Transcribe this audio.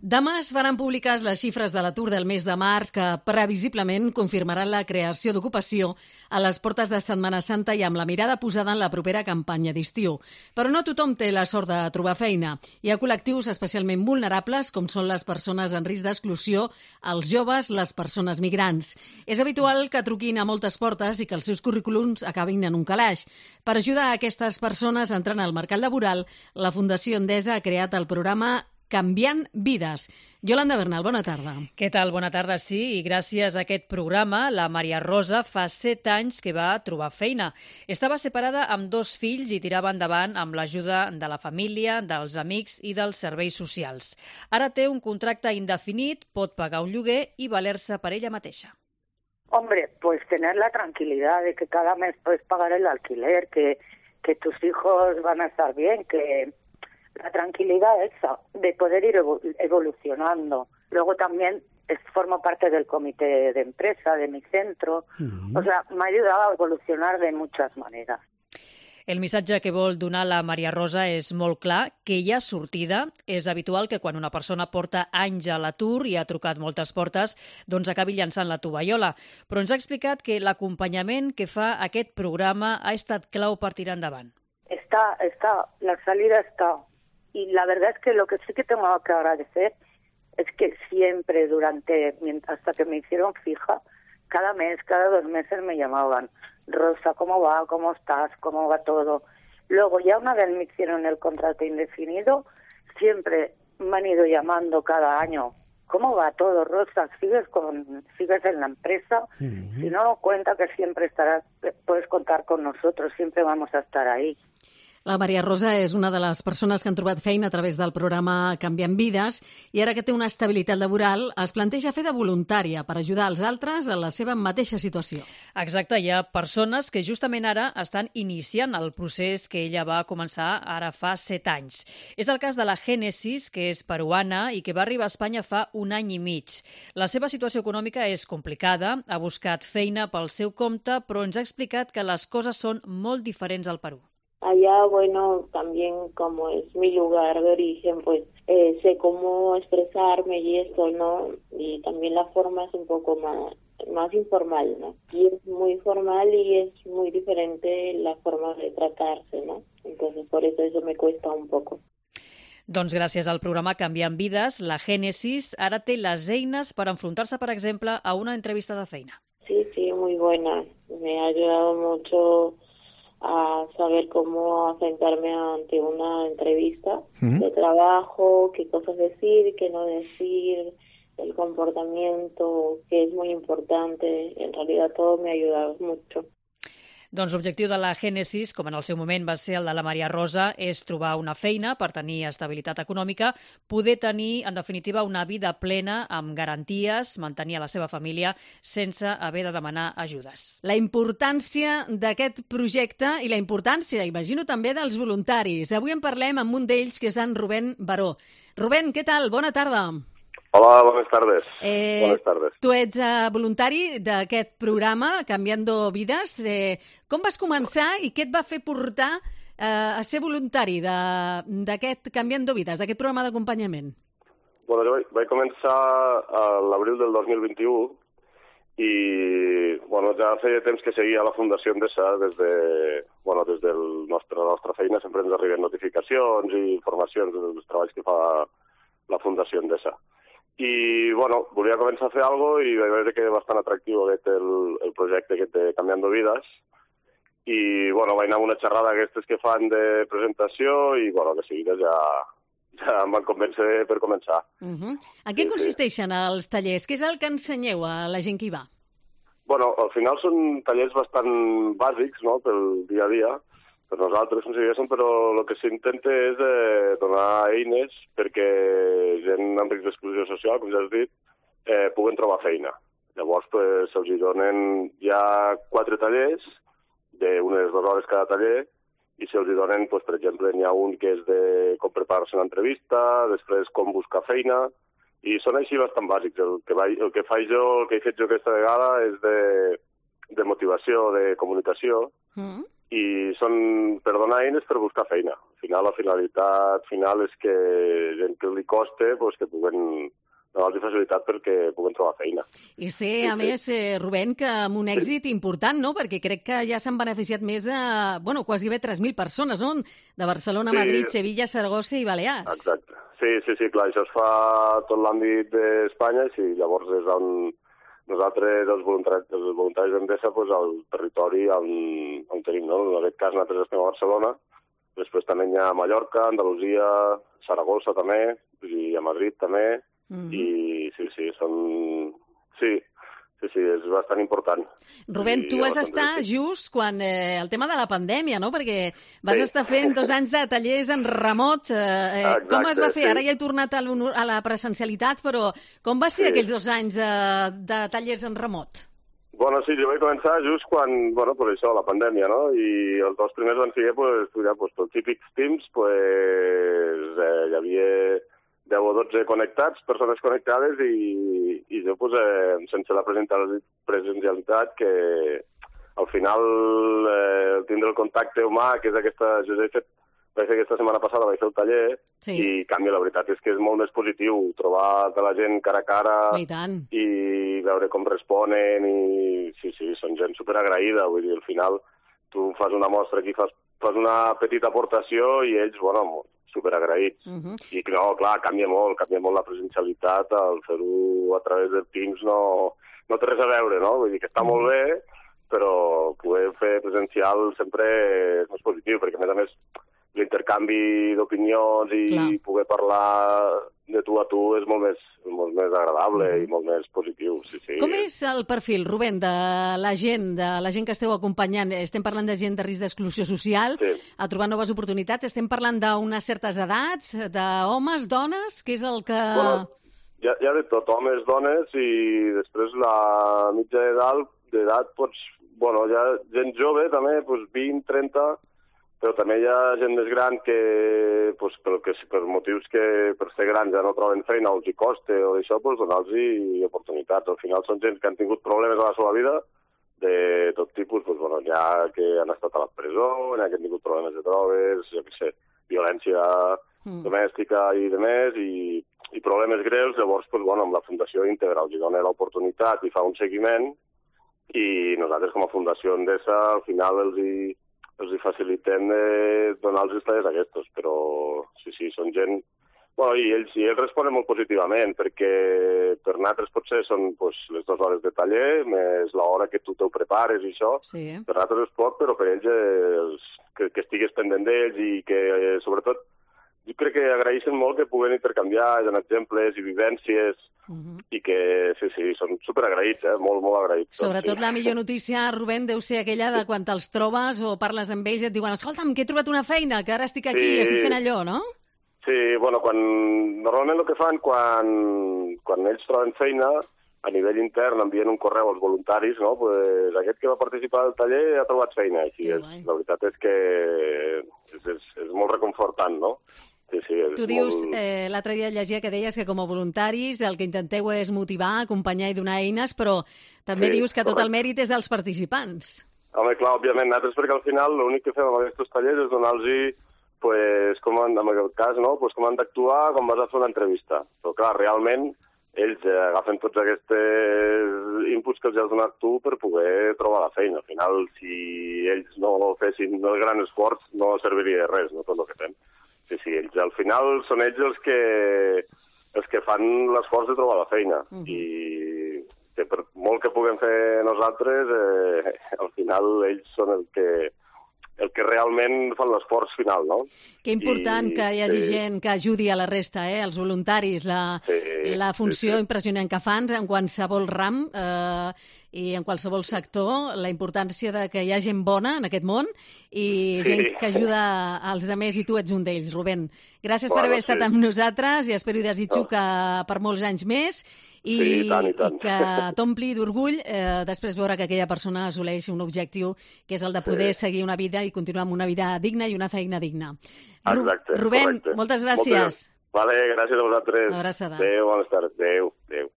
Demà es faran públiques les xifres de l'atur del mes de març que previsiblement confirmaran la creació d'ocupació a les portes de Setmana Santa i amb la mirada posada en la propera campanya d'estiu. Però no tothom té la sort de trobar feina. Hi ha col·lectius especialment vulnerables, com són les persones en risc d'exclusió, els joves, les persones migrants. És habitual que truquin a moltes portes i que els seus currículums acabin en un calaix. Per ajudar a aquestes persones a entrar al mercat laboral, la Fundació Endesa ha creat el programa Canviant Vides. Yolanda Bernal, bona tarda. Què tal? Bona tarda, sí. I gràcies a aquest programa, la Maria Rosa fa 7 anys que va trobar feina. Estava separada amb 2 fills i tirava endavant amb l'ajuda de la família, dels amics i dels serveis socials. Ara té un contracte indefinit, pot pagar un lloguer i valer-se per ella mateixa. Hombre, pues tener la tranquilidad de que cada mes puedes pagar el alquiler, que tus hijos van a estar bien, que la tranquilidad esa de poder ir evolucionando. Luego también formo parte del comité de empresa de mi centro. O sea, me ha ayudado a evolucionar de muchas maneras. El missatge que vol donar la Maria Rosa és molt clar, que hi ha sortida. És habitual que quan una persona porta anys a l'atur i ha trucat moltes portes, doncs acabi llançant la tovallola. Però ens ha explicat que l'acompanyament que fa aquest programa ha estat clau per tirar endavant. La salida está. Y la verdad es que lo que sí que tengo que agradecer es que siempre hasta que me hicieron fija, cada mes, cada 2 meses me llamaban. Rosa, ¿cómo va? ¿Cómo estás? ¿Cómo va todo? Luego ya una vez me hicieron el contrato indefinido, siempre me han ido llamando cada año. ¿Cómo va todo, Rosa? ¿Sigues en la empresa? Si no, cuenta que siempre puedes contar con nosotros, siempre vamos a estar ahí. La Maria Rosa és una de les persones que han trobat feina a través del programa Canviant Vides i ara que té una estabilitat laboral es planteja fer de voluntària per ajudar els altres en la seva mateixa situació. Exacte, hi ha persones que justament ara estan iniciant el procés que ella va començar ara fa 7 anys. És el cas de la Génesis, que és peruana i que va arribar a Espanya fa 1 any i mig. La seva situació econòmica és complicada, ha buscat feina pel seu compte, però ens ha explicat que les coses són molt diferents al Perú. Allá, bueno, también como es mi lugar de origen, pues sé cómo expresarme y esto, ¿no? Y también la forma es un poco más informal, ¿no? Y es muy formal y es muy diferente la forma de tratarse, ¿no? Entonces, por eso me cuesta un poco. Doncs gràcies al programa Canviant Vides, la Génesis ara té les eines per enfrontar-se, per exemple, a una entrevista de feina. Sí, muy buena. Me ha ayudado mucho a saber cómo enfrentarme ante una entrevista de trabajo, qué cosas decir, qué no decir, el comportamiento, que es muy importante. En realidad todo me ha ayudado mucho. Doncs l'objectiu de la Génesis, com en el seu moment va ser el de la Maria Rosa, és trobar una feina per tenir estabilitat econòmica, poder tenir, en definitiva, una vida plena amb garanties, mantenir a la seva família sense haver de demanar ajudes. La importància d'aquest projecte i la importància, imagino, també dels voluntaris. Avui en parlem amb un d'ells, que és en Rubén Baró. Rubén, què tal? Bona tarda. Hola, buenas tardes. Buenas tardes. Tu ets voluntari d'aquest programa, Canviando Vides. Com vas començar i què et va fer portar a ser voluntari d'aquest Canviando Vides, d'aquest programa d'acompanyament? Bueno, jo vaig començar a l'abril del 2021 i ja feia temps que seguia la Fundació Endesa des de la nostra feina. Sempre ens arriben notificacions i informacions dels treballs que fa la Fundació Endesa. I, volia començar a fer alguna cosa i vaig veure que era bastant atractiu el projecte aquest de Canviando Vides. I, vaig anar a una xerrada d'aquestes que fan de presentació i, de seguida ja em van convèncer per començar. En què consisteixen els tallers? Què és el que ensenyeu a la gent que hi va? Al final són tallers bastant bàsics, no?, pel dia a dia, per nosaltres, però el que s'intenta és donar eines perquè gent amb risc d'exclusió social, com ja has dit, puguen trobar feina. Llavors, se'ls donen ja 4 tallers, d'unes 2 hores cada taller, i se'ls donen, per exemple, n'hi ha un que és de com preparar-se una entrevista, després com buscar feina, i són així bastant bàsics. El que he fet jo aquesta vegada és de motivació, de comunicació, i són per donar eines per buscar feina. Al final, la finalitat final és que gent que li costa, pues, que puguen donar-los facilitat perquè puguen trobar feina. I sé, a més, Rubén, que amb un èxit important, no? Perquè crec que ja s'han beneficiat més de, quasi bé 3.000 persones, no? De Barcelona, Madrid, Sevilla, Saragossa i Balears. Exacte. Sí, clar, això es fa a tot l'àmbit d'Espanya, i llavors és on nosaltres, els voluntaris d'Endesa, pues, al territori on tenim, no? En aquest cas nosaltres estem a Barcelona, després també hi ha Mallorca, Andalusia, Saragossa també, i a Madrid també, i sí, són... Sí, és bastant important. Rubén, tu vas estar just quan el tema de la pandèmia, no? Perquè vas estar fent 2 anys de tallers en remot. Com es va fer? Ara ja he tornat a la presencialitat, però com va ser aquells 2 anys de tallers en remot? Bueno, sí, jo vaig començar just quan, per això, la pandèmia, no? I els 2 primers van ser, estudiar, els típics Teams, hi havia 10 o 12 connectats, persones connectades, i jo, sense la presencialitat, que al final tindre el contacte humà, que és aquesta... Jo vaig fer aquesta setmana passada, vaig fer el taller, i canvi, la veritat és que és molt més positiu trobar la gent cara a cara i veure com responen, i sí, són gent superagraïda, vull dir, al final tu fas una mostra aquí, fas una petita aportació i ells, superagraïts. I no, clar, canvia molt la presencialitat, el fer-ho a través de Teams no té res a veure, no? Vull dir que està molt bé, però poder fer presencial sempre és més positiu, perquè a més l'intercanvi d'opinions i poder parlar de tu a tu és molt més agradable i molt més positiu. Sí. Com és el perfil, Rubén, de la gent que esteu acompanyant? Estem parlant de gent de risc d'exclusió social, a trobar noves oportunitats? Estem parlant d'unes certes edats, d'homes, dones? Què és el que... Hi ha de tot, homes, dones, i després la mitja d'edat, hi ha gent jove també, 20, 30... però també hi ha gent més gran que, per motius que per ser grans ja no troben feina o els hi costa o això, donar-los oportunitats. Al final són gent que han tingut problemes a la seva vida, de tot tipus, hi ha que han estat a la presó, hi ha que han tingut problemes de drogues, violència domèstica i demés, i problemes greus. Llavors, amb la Fundació Íntegra els dona l'oportunitat i fa un seguiment, i nosaltres com a Fundació Endesa al final els facilitem donar els tallers aquests, però sí, són gent... I ells responen molt positivament, perquè per nosaltres potser són les 2 hores de taller, més l'hora que tu t'ho prepares i això. Per nosaltres és poc, però per ells que estigues pendent d'ells i que, sobretot, jo crec que agraeixen molt que puguen intercanviar, donar exemples i vivències, i que, sí, són superagraïts, molt, molt agraïts. Sobretot la millor notícia, Rubén, deu ser aquella de quan te'ls trobes o parles amb ells i et diuen escolta'm, que he trobat una feina, que ara estic aquí i estic fent allò, no? Sí, normalment el que fan quan ells troben feina, a nivell intern envien un correu als voluntaris, no? Aquest que va participar del taller ha trobat feina. La veritat és que és molt reconfortant, no? Sí, tu dius, l'altre dia llegia que deies que com a voluntaris el que intenteu és motivar, acompanyar i donar eines, però també dius que tot el mèrit és dels participants. Home, clar, òbviament, nosaltres perquè al final l'únic que fem amb aquests tallers és donar-los, com en aquest cas, no? Com han d'actuar quan vas a fer una entrevista. Però clar, realment ells agafen tots aquests inputs que els has donat tu per poder trobar la feina. Al final, si ells no fessin el gran esforç, no serviria de res, no, tot el que fem. Sí, ells al final són ells els que fan l'esforç de trobar la feina. I que per molt que puguem fer nosaltres, al final ells són el que realment fan l'esforç final, no? Que important que hi hagi gent que ajudi a la resta, els voluntaris, la funció impressionant que fan en qualsevol ram i en qualsevol sector, la importància de que hi ha gent bona en aquest món i gent que ajuda als altres, i tu ets un d'ells, Rubén. Gràcies per haver estat amb nosaltres i espero i desitjo que per molts anys més i que t'ompli d'orgull després veure que aquella persona assoleix un objectiu que és el de poder seguir una vida i continuar amb una vida digna i una feina digna. Exacte. Rubén, moltes gràcies. Vale, gràcies a vosaltres. Una abraçada. Adéu, bones tardes. Adéu.